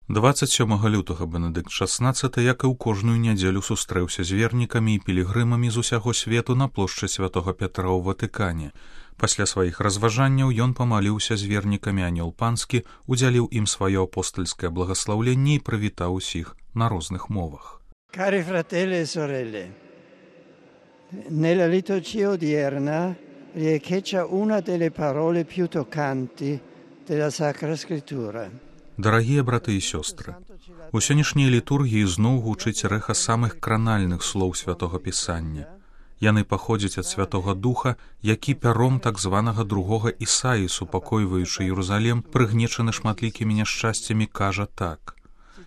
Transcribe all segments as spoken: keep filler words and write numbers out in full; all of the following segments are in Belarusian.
дваццаць сёмага лютага Бенедыкт шаснаццаты, як і ў кожную нядзелю, сустрэўся з вернікамі і пілігрымамі з усяго свету на плошчы святога Пятра ў Ватыкане. Пасля сваіх разважанняў ён памаліўся з вернікамі анёл панскі, удзяліў ім сваё апостальскае благаслаўленне і прывітаў усіх на розных мовах. Cari fratelli e sorelle, nella liturgia odierna riecheggia una delle parole più toccanti della Sacra Scrittura. Дарагія браты і сёстры, у сённяшняй літургіі зноў гучыць рэха самых кранальных слоў святога Пісання. Яны паходзяць ад Святога Духа, які пяром так званага другога Ісаі, супакойваючы Єрусалем, прыгнечаны шматлікімі няшчасцямі, кажа так: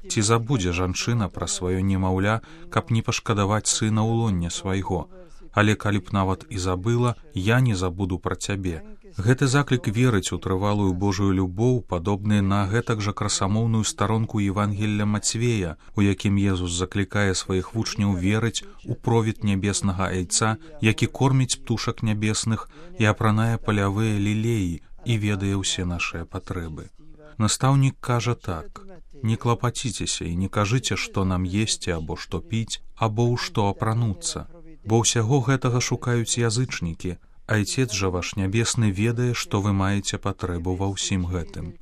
«Ці забудзе жанчына пра сваё немаўля, каб не пашкадаваць сына ў лонне свайго, але калі б нават і забыла, я не забуду пра цябе». Гэты заклік верыць у трывалую Божую любоў, падобны на гэтак жа красамоўную старонку Евангелля Мацвея, у якім Езус заклікае сваіх вучняў верыць у провід нябеснага айца, які корміць птушак нябесных і апранае палявыя лілеі і ведае ўсе нашыя патрэбы. Настаўнік кажа так: «Не клапаціцеся і не кажыце, што нам есці або што піць, або ў што апрануцца, бо ўсяго гэтага шукаюць язычнікі, Айцец жа ваш нябесны ведае, што вы маеце патрэбу ва ўсім гэтым».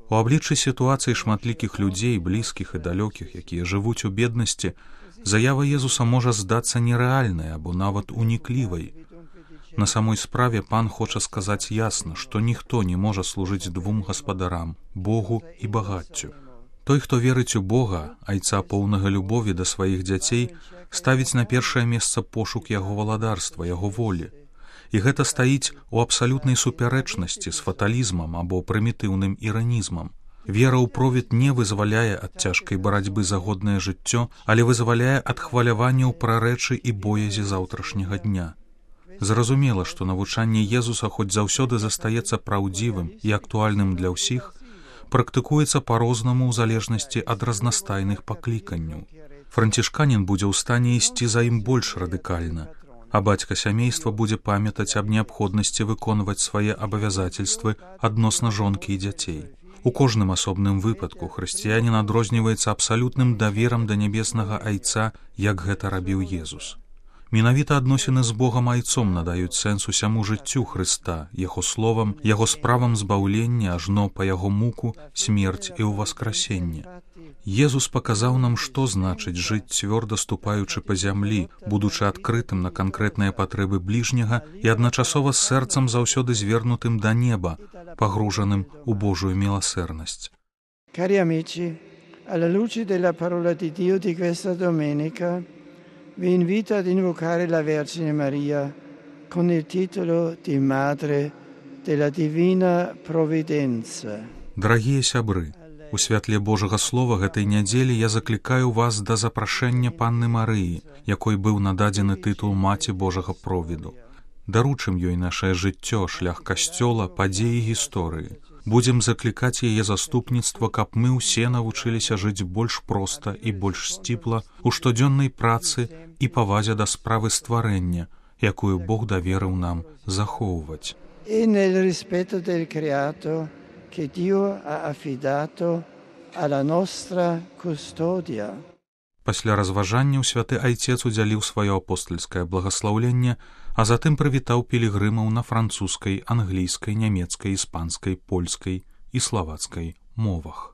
У абліччы сітуацыі шматлікіх людзей, блізкіх і далёкіх, якія жывуць у беднасці, заява Езуса можа здацца нерэальнай або нават уніклівай. На самой справе пан хоча сказаць ясна, што ніхто не можа служыць двум гаспадарам, Богу і багаццю. Той, хто верыць у Бога, айца поўнага любові да сваіх дзяцей, ставіць на першае месца пошук яго валадарства, яго волі. І гэта стаіць у абсалютнай супярэчнасці з фаталізмам або прымітыўным іранізмам. Вера ў провід не вызваляе ад цяжкай барацьбы за годнае жыццё, але вызваляе ад хваляванняў пра рэчы і боязі заўтрашняга дня. Зразумела, што навучанне Езуса хоць заўсёды застаецца праўдзівым і актуальным для ўсіх, практыкуецца па-рознаму ў залежнасці ад разнастайных пакліканняў. Францішканін будзе ў стане ісці за ім больш радыкальна, а бацька сямейства будзе памятаць аб неабходнасці выконваць свае абавязательствы адносна жонкі і дзяцей. У кожным асобным выпадку хрысціянін адрозніваецца абсалютным даверам да нябеснага айца, як гэта рабіў Езус. Менавіта адносіны з Богам айцом надаюць сэнс усяму жыццю Хрыста, яго словам, яго справам збаўлення, ажно па яго муку, смерць і ўваскрасенне. Езус паказаў нам, што значыць жыць цвёрда ступаючы па зямлі, будучы адкрытым на канкрэтныя патрэбы бліжняга і адначасова з сэрцам заўсёды звернутым да неба, пагружаным у Божую міласэрнасць. Cari amici, alla luce della parola di Dio di questa domenica, vi invito ad invocare la Vergine Maria con il titolo di Madre della Divina Provvidenza. Дарагія сябры, у святле Божага Слова гэтай нядзелі я заклікаю вас да запрашэння Панны Марыі, якой быў нададзены тытул Маці Божага Провіду. Даручым ёй нашае жыццё, шлях касцёла, падзеі гісторыі. Будзем заклікаць яе заступніцтва, каб мы ўсе навучыліся жыць больш проста і больш сціпла у штодзённай працы і павазе да справы стварэння, якую Бог даверыў нам захоўваць. E nel rispetto del creato che Dio ha affidato alla nostra custodia. Пасля разважанняў святы айцец удзяліў сваё апостальскае благаслаўленне, а затым прывітаў пілігрымаў на французскай, англійскай, нямецкай, іспанскай, польскай і славацкай мовах.